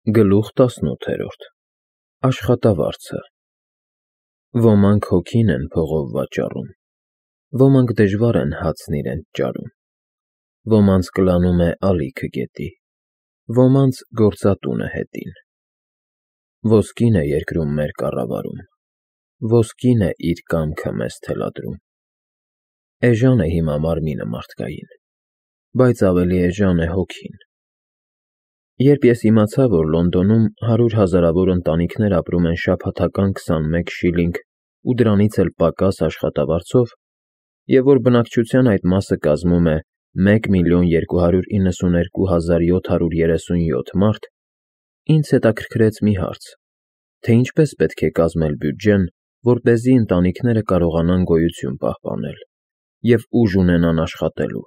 Գլուխ 18 Աշխատավարձը Ոմանք հոգին են փողով վաճառում, ոմանք դժվար են հացն իրենց ճարում, ոմանց կլանում է ալիքը գետի, ոմանց գործատունը հետին։ Ոսկին է երկրում մեր կառավարում, ոսկին է իր կամքը մեզ թելադրում։ Էժան է հիմա մարմինը մարդկային, բայց ավելի էժան է հոգին։ Երբ ես իմացա, որ Լոնդոնում 100 հազարավոր ընտանիքներ ապրում են շաբաթական 21 շիլինգ ու դրանից էլ պակաս աշխատավարձով, և որ բնակչության այդ մասը կազմում է 1,292,737 մարդ, ինձ հետաքրքրեց մի հարց, թե ինչպես պետք է կազմել բյուջեն, որպեսզի ընտանիքները կարողանան գոյություն պահպանել և ուժ ունենան աշխատելու։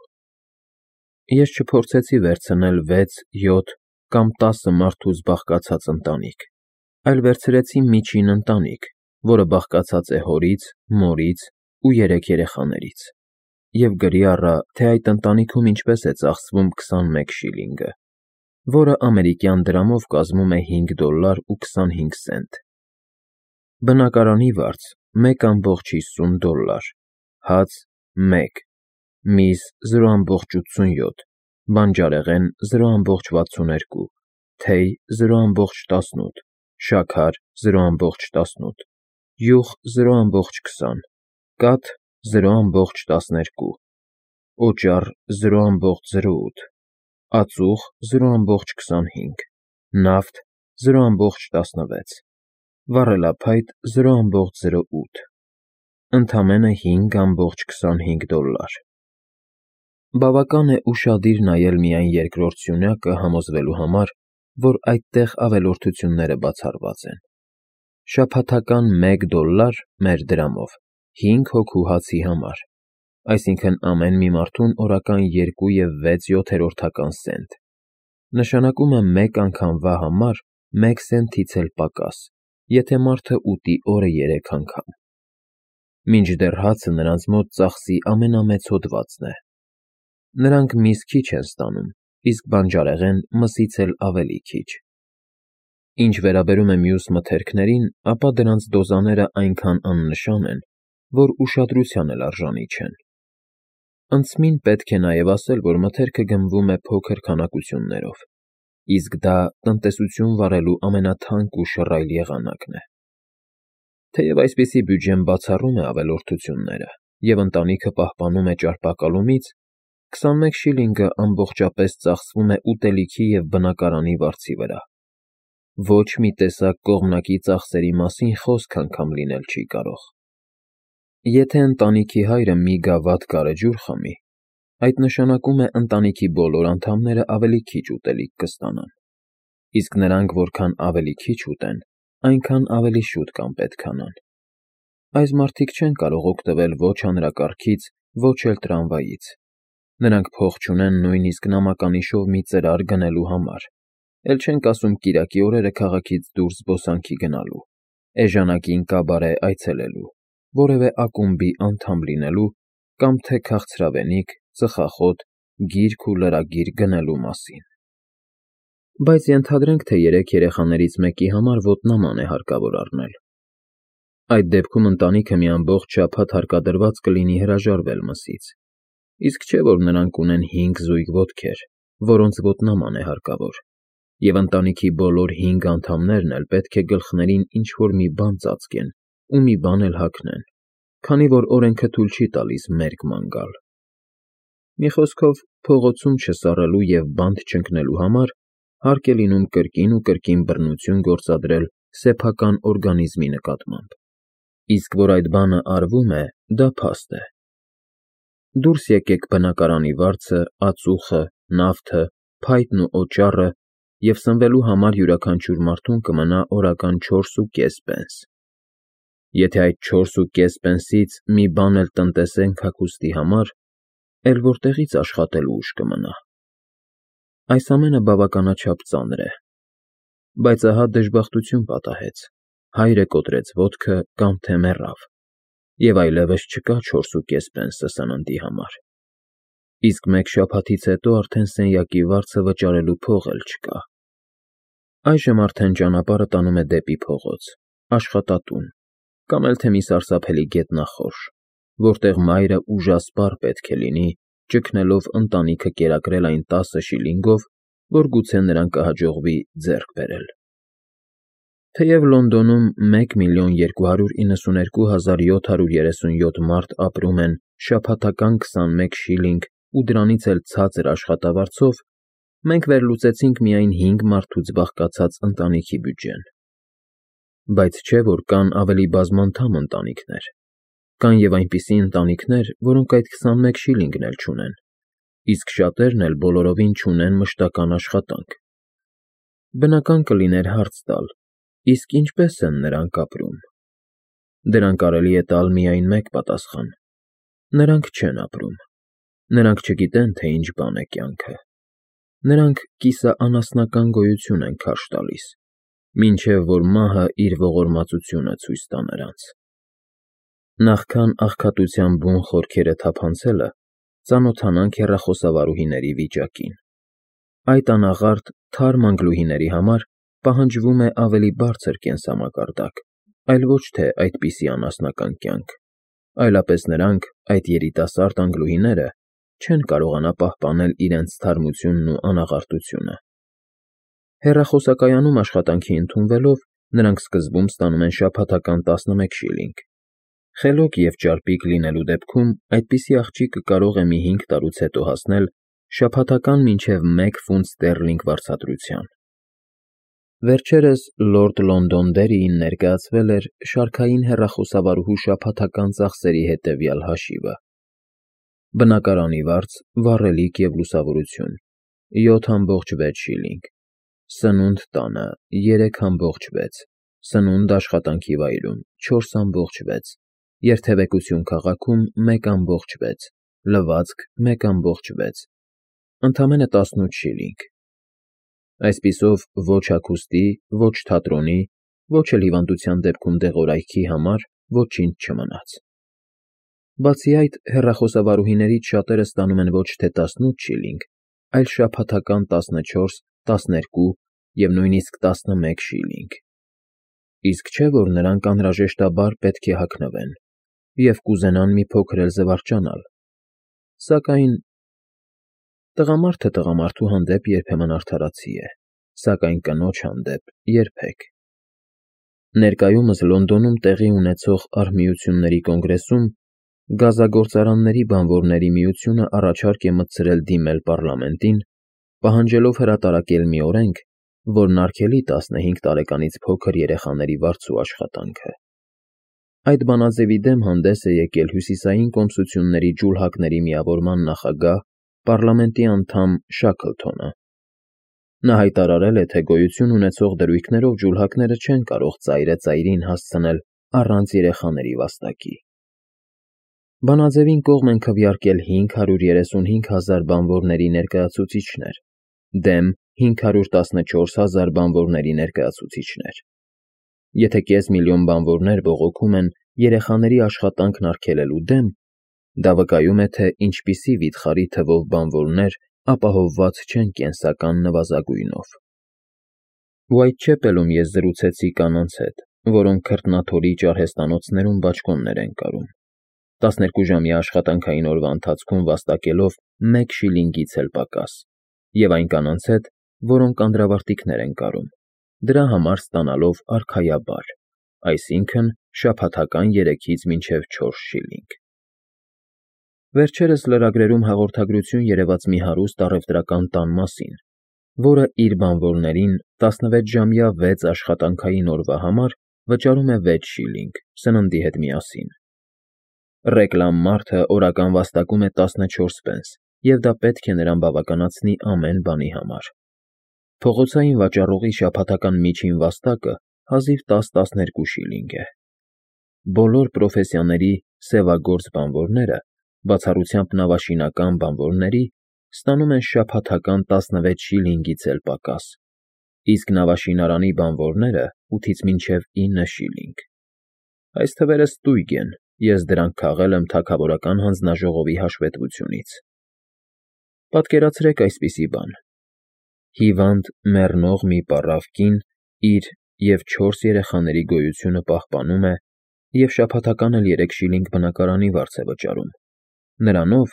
Ես չփորձեցի վերցնել 6, 7 կամ 10 մարդուց բաղկացած ընտանիք, այլ վերցրեցի միջին ընտանիք, որը բաղկացած է հորից, մորից ու 3 երեխաներից, և գրի առա, թե այդ ընտանիքում ինչպես է ծախսվում 21 շիլինգը, որը ամերիկյան դրամով կազմում է $5.25։ Բնակարանի վարձ $1.50, հաց 1, միս 0.87, բանջարեղեն 0.62, թեյ 0.18, շաքար 0.18, յուղ 0.20, կաթ 0.12, օճառ 0.08, ածուխ 0.25, նավթ 0.16, վառելափայտ 0.08, ընդամենը $5.25։ Բավական է ուշադիր նայել միայն երկրորդ սյունյակը համոզվելու համար, որ այդտեղ ավելորդությունները բացառված են։ Շաբաթական $1 մեր դրամով 5 հոգու հացի համար, այսինքն ամեն մի մարդուն օրական 2 և 6/7 սենտ, նշանակում է մեկ անգամվա համար 1 սենտից էլ պակաս, եթե մարդը ուտի օրը 3 անգամ։ Մինչդեռ հացը նրանց մոտ ծախսի ամենամեծ հոդվածն է։ Նրանք միս քիչ են ստանում, իսկ բանջարեղեն մսից էլ ավելի քիչ։ Ինչ վերաբերում է մյուս մթերքներին, ապա դրանց դոզաները այնքան աննշան են, որ ուշադրության էլ արժանի չեն։ Անցմին պետք է նաև ասել, որ մթերքը գնվում է փոքր քանակություններով, իսկ դա տնտեսություն վարելու ամենաթանկ ու շռայլ եղանակն է։ Թեև այսպիսի բյուջեն բացառում է ավելորդությունները և ընտանիքը պահպանում է ճարպակալումից, 21 շիլինգը ամբողջապես ծախսվում է ուտելիքի և բնակարանի վարձի վրա։ Ոչ մի տեսակ կողմնակի ծախսերի մասին խոսք անգամ լինել չի կարող։ Եթե ընտանիքի հայրը մի գավաթ գարեջուր խմի, այդ նշանակում է ընտանիքի բոլոր անդամները ավելի քիչ ուտելիք կստանան, իսկ նրանք որքան ավելի քիչ ուտեն, այնքան ավելի շուտ կանպետքանան։ Այս մարդիկ չեն կարող օգտվել ոչ հանրակարգից, ոչ էլ տրամվայից։ Նրանք փող չունեն նույնիսկ նամականիշով մի ծրար գնելու համար, էլ չենք ասում կիրակի օրերը քաղաքից դուրս զբոսանքի գնալու, էժանակին կաբարե այցելելու, որևէ ակումբի անդամ լինելու կամ թե քաղցրավենիք, ծխախոտ, գիրք ու լրագիր գնելու մասին։ Բայց ենթադրենք, թե 3 երեխաներից մեկի համար ոտնաման է հարկավոր առնել։ Այդ դեպքում ընտանիքը մի ամբողջ շաբաթ հարկադրված կլինի հրաժարվել մսից, իսկ չէ որ նրանք ունեն 5 զույգ ոտքեր, որոնց ոտնաման է հարկավոր, և ընտանիքի բոլոր 5 անդամներն էլ պետք է գլխներին ինչ-որ մի բան ծածկեն ու մի բան էլ հագնեն, քանի որ օրենքը թույլ չի տալիս մերկ ման գալ։ Մի խոսքով, փողոցում չսառելու և բանտ չընկնելու համար հարկ է լինում կրկին ու կրկին բռնություն գործադրել սեփական օրգանիզմի նկատմամբ, իսկ որ այդ բանը արվում է, դա փաստ է։ Դուրս եկեք բնակարանի վարձը, ածուխը, նավթը, փայտն ու օճառը, և սնվելու համար յուրաքանչյուր մարդուն կմնա օրական 4.5 պենս։ Եթե այդ 4.5 պենսից մի բան էլ տնտեսենք հագուստի համար, էլ որտեղի՞ց աշխատելու ուժ կմնա։ Այս ամենը բավականաչափ ծանր է։ Բայց ահա դժբախտություն պատահեց, հայրը կոտրեց ոտքը կամ թե մեռավ, և այլևս չկա 4.5 պենսը սննդի համար, իսկ մեկ շաբաթից հետո արդեն սենյակի վարձը վճարելու փող էլ չկա։ Այժմ արդեն ճանապարհը տանում է դեպի փողոց, աշխատատուն, կամ էլ թե մի սարսափելի գետնախորշ, որտեղ մայրը ուժասպառ պետք է լինի, ճգնելով ընտանիքը կերակրել այն 10 շիլինգով, որ գուցե նրան կհաջողվի ձեռք բերել։ Թեև Լոնդոնում 1,292,737 մարդ ապրում են շաբաթական 21 շիլինգ ու դրանից էլ ցածր աշխատավարձով, մենք վերլուծեցինք միայն 5 մարդուց բաղկացած ընտանիքի բյուջեն։ Բայց չէ, որ կան ավելի բազմանդամ ընտանիքներ։ Կան և այնպիսի ընտանիքներ, որոնք այդ 21 շիլինգն էլ չունեն, իսկ շատերն էլ բոլորովին չունեն մշտական աշխատանք։ Բնական կլիներ հարց տալ. իսկ ինչպե՞ս են նրանք ապրում։ Դրան կարելի է տալ միայն մեկ պատասխան. նրանք չեն ապրում։ Նրանք չգիտեն, թե ինչ բան է կյանքը։ Նրանք կիսաանասնական գոյություն են քարշ տալիս, մինչև որ մահը իր ողորմածությունը ցույց տա նրանց։ Նախքան աղքատության բուն խորքերը թափանցելը, ծանոթանանք հեռախոսավարուհիների վիճակին։ Այդ անաղարտ, թարմ անգլուհիների համար պահանջվում է ավելի բարձր կենսամակարդակ, այլ ոչ թե այդպիսի անասնական կյանք, այլապես նրանք, այդ երիտասարդ անգլուհիները, չեն կարողանա պահպանել իրենց թարմությունն ու անաղարտությունը։ Հեռախոսակայանում աշխատանքի ընդունվելով, նրանք սկզբում ստանում են շաբաթական 11 շիլինգ։ Խելոք և ճարպիկ լինելու դեպքում այդպիսի աղջիկը կարող է մի 5 տարուց հետո հասնել շաբաթական մինչև 1 ֆունտ ստերլինգ վարձատրության։ Վերջերս Լորդ Լոնդոնդերիին ներկայացվել էր շարքային հեռախոսավարուհու շաբաթական ծախսերի հետևյալ հաշիվը. բնակարանի վարձ, վառելիք և լուսավորություն՝ 7,6 շիլինգ, սնունդ տանը՝ 3,6, սնունդ աշխատանքի վայրում՝ 4,6, երթևեկություն քաղաքում՝ 1,6, լվացք՝ 1,6, ընդամենը 18 շիլինգ։ Այսպիսով, ոչ հագուստի, ոչ թատրոնի, ոչ էլ հիվանդության դեպքում դեղորայքի համար ոչինչ չմնաց։ Բացի այդ, հեռախոսավարուհիներից շատերը ստանում են ոչ թե 18 շիլինգ, այլ շաբաթական 14, 12 և նույնիսկ 11 շիլինգ։ Իսկ չէ՞ որ նրանք անհրաժեշտաբար պետք է հագնվեն և կուզենան մի փոքր էլ զվարճանալ։ Սակայն տղամարդը տղամարդու հանդեպ երբեմն արդարացի է, սակայն կնոջ հանդեպ՝ երբեք։ Ներկայումս Լոնդոնում տեղի ունեցող արհմիությունների կոնգրեսում Գազագործարանների բանվորների միությունը առաջարկ է մտցրել դիմել պառլամենտին, պահանջելով հրատարակել մի օրենք, որն արգելի 15 տարեկանից փոքր երեխաների վարձու աշխատանքը։ Այդ բանաձևի դեմ հանդես է եկել Հյուսիսային կոմսությունների ջուլհակների միավորման նախագահ, պառլամենտի անդամ Շաքլթոնը։ Նա հայտարարել է, թե գոյություն ունեցող դրույքներով ջուլհակները չեն կարող ծայրը ծայրին հասցնել առանց երեխաների վաստակի։ Բանաձևին կողմ են քվեարկել 535,000 բանվորների ներկայացուցիչներ, դեմ 514,000 բանվորների ներկայացուցիչներ։ Եթե կես միլիոն բանվորներ բողոքում են երեխաների աշխատանքն արգելելու դեմ, դա վկայում է, թե ինչպիսի վիթխարի թվով բանվորներ ապահովված չեն կենսական նվազագույնով։ Ուայթչեպելում ես զրուցեցի կանանց հետ, որոնք քրտնաթորիչ արհեստանոցներում բաճկոններ են կարում, 12-ժամյա աշխատանքային օրվա ընթացքում վաստակելով 1 շիլինգից էլ պակաս, և այն կանանց հետ, որոնք անդրավարտիքներ են կարում, դրա համար ստանալով արքայաբար, այսինքն շաբաթական 3-ից մինչև 4 շիլինգ։ Վերջերս լրագրերում հաղորդագրություն երևաց մի հարուստ առևտրական տան մասին, որը իր բանվորներին 16-ժամյա 6 աշխատանքային օրվա համար վճարում է 6 շիլինգ սննդի հետ միասին։ Ռեկլամ մարդը օրական վաստակում է 14 պենս, և դա պետք է նրան բավականացնի ամեն բանի համար։ Փողոցային վաճառողի շաբաթական միջին վաստակը հազիվ 10-12 շիլինգ է։ Բոլոր պրոֆեսիաների սևագործ բանվորները, բացառությամբ նավաշինական բանվորների, ստանում են շաբաթական 16 շիլինգից էլ պակաս, իսկ նավաշինարանի բանվորները 8-ից մինչև 9 շիլինգ։ Այս թվերը ստույգ են, ես դրանք քաղել եմ թագավորական հանձնաժողովի հաշվետվությունից։ Պատկերացրեք այսպիսի բան. Հիվանդ, մեռնող մի պառավ կին իր և 4 երեխաների գոյությունը պահպանում է և շաբաթական էլ 3 շիլինգ բնակարանի վարձ է վճարում, նրանով,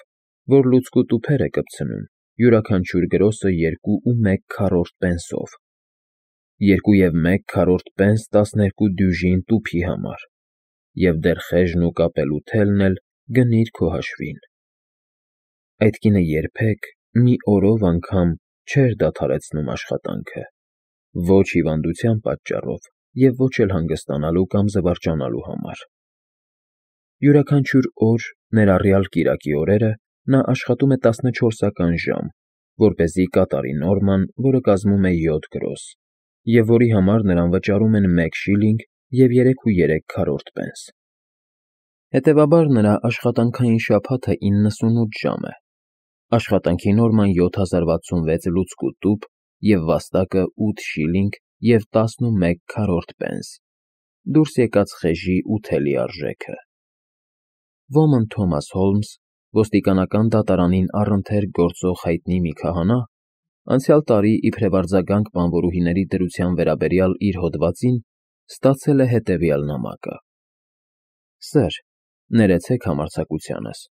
որ լուցկու տուփեր է կպցնում յուրաքանչյուր գրոսը 2.1 պենսով, 2.1 պենս 12 դյուժին տուփի համար, և դեռ խեժն ու կապելու թելն էլ գնիր քո հաշվին։ Այդ կինը երբեք մի օրով անգամ չէր դադարեցնում աշխատանքը, ոչ հիվանդության պատճառով և ոչ էլ հանգստանալու կամ զվարճանալու համար։ Յուրաքանչյուր օր, ներառյալ կիրակի օրերը, նա աշխատում է 14-ական ժամ, որպեսզի կատարի նորման, որը կազմում է 7 գրոս, և որի համար նրան վճարում են 1 շիլինգ և 3.3 պենս։ Հետևաբար նրա աշխատանքային շաբաթը 98 ժամ է, աշխատանքի նորման 7066 լուցկու տուփ և վաստակը 8 շիլինգ և 11 պենս, դուրս եկած խեժի ու թելի արժեքը։ Ոմն Թոմաս Հոլմս, ոստիկանական դատարանին առընթեր գործող հայտնի մի քահանա, անցյալ տարի իբրև արձագանք բանվորուհիների դրության վերաբերյալ իր հոդվածին ստացել է հետևյալ նամակը. Սըր, ներեցեք համարձակությանս,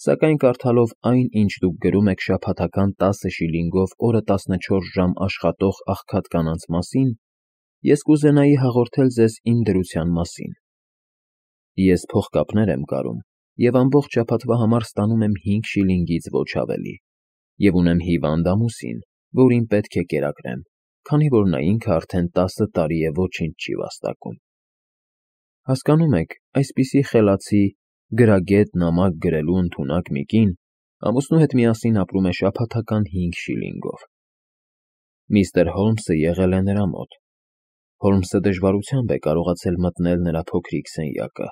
սակայն կարդալով այն, ինչ դուք գրում եք շաբաթական 10 շիլինգով օրը 14 ժամ աշխատող աղքատ կանանց մասին, ես կուզենայի հաղորդել ձեզ իմ դրության մասին։ Ես փողկապներ եմ կարում և ամբողջ շաբաթվա համար ստանում եմ 5 շիլինգից ոչ ավելի, և ունեմ հիվանդ ամուսին, որին պետք է կերակրեմ, քանի որ նա ինքը արդեն 10 տարի է ոչինչ չի վաստակում։ Հասկանում եք, այսպիսի խելացի, գրագետ նամակ գրելու ընդունակ մի կին ամուսնու հետ միասին ապրում է շաբաթական 5 շիլինգով։ Միստր Հոլմսը եղել է նրա մոտ։ Հոլմսը դժվարությամբ է կարողացել մտնել նրա փոքրիկ սենյակը,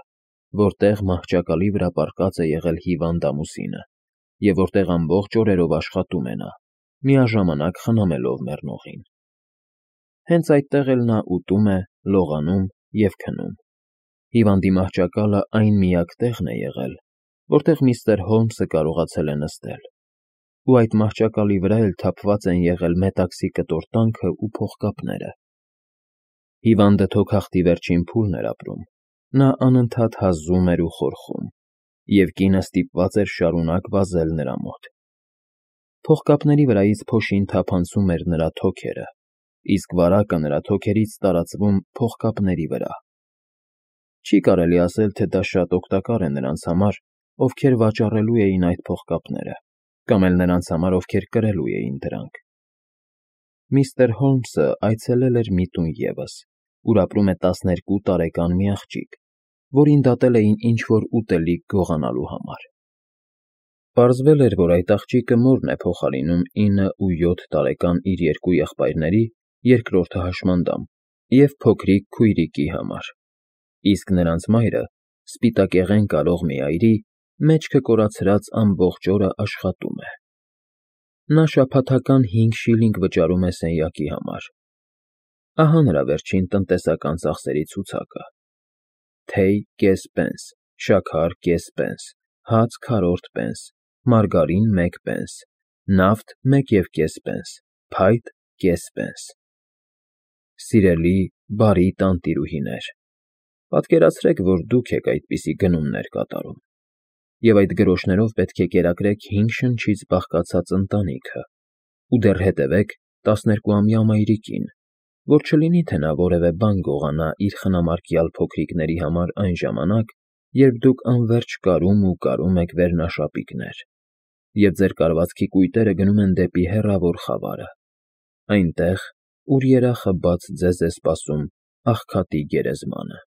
որտեղ մահճակալի վրա պառկած է եղել հիվանդ ամուսինը, և որտեղ ամբողջ օրերով աշխատում է նա, միաժամանակ խնամելով մեռնողին։ Հենց այդտեղ էլ նա ուտում է, լողանում և քնում։ Հիվանդի մահճակալը այն միակ տեղն է եղել, որտեղ միստր Հոլմսը կարողացել է նստել, ու այդ մահճակալի վրա էլ թափված են եղել մետաքսի կտոր տանքը ու փողկապները։ Հիվանդը թոքախտի վերջին փուլն էր ապրում, նա անընդհատ հազում էր ու խորխում, և կինը ստիպված էր շարունակ վազել նրա մոտ։ Փողկապների վրայից փոշին թափանցում էր նրա թոքերը, իսկ վարակը նրա թոքերից տարածվում փողկապների վրա։ Չի կարելի ասել, թե դա շատ օգտակար է նրանց համար, ովքեր վաճառելու էին այդ փողկապները, կամ էլ նրանց համար, ովքեր կրելու էին դրանք։ Միստր Հոլմսը այցելել էր մի տուն ևս, ուր ապրում է 12 տարեկան մի աղջիկ, որին դատել էին ինչ֊որ ուտելիք գողանալու համար։ Պարզվել էր, որ այդ աղջիկը մորն է փոխարինում 9 ու 7 տարեկան իր 2 եղբայրների, երկրորդը հաշմանդամ, և փոքրիկ քույրիկի համար, իսկ նրանց մայրը, սպիտակեղեն կարող մի այրի, մեջքը կորացրած ամբողջ օրը աշխատում է։ Նա շաբաթական 5 շիլինգ վճարում է սենյակի համար։ Ահա նրա վերջին տնտեսական ծախսերի ցուցակը. թեյ՝ կես պենս, շաքար՝ կես պենս, հաց՝ քառորդ պենս, մարգարին՝ 1 պենս, նավթ՝ 1.5 պենս, փայտ՝ կես պենս։ Սիրելի, բարի տանտիրուհիներ, պատկերացրեք, որ դուք եք այդպիսի գնումներ կատարում, և այդ գրոշներով պետք է կերակրեք 5 շնչից բաղկացած ընտանիքը, ու դեռ հետևեք 12-ամյա մայրիկին, որ չլինի, թե նա որևէ բան գողանա իր խնամարկյալ փոքրիկների համար այն ժամանակ, երբ դուք անվերջ կարում ու կարում եք վերնաշապիկներ, և ձեր կարվածքի կույտերը գնում են դեպի հեռավոր խավարը, այնտեղ, ուր երախը բաց ձեզ է սպասում աղքատի գերեզմանը։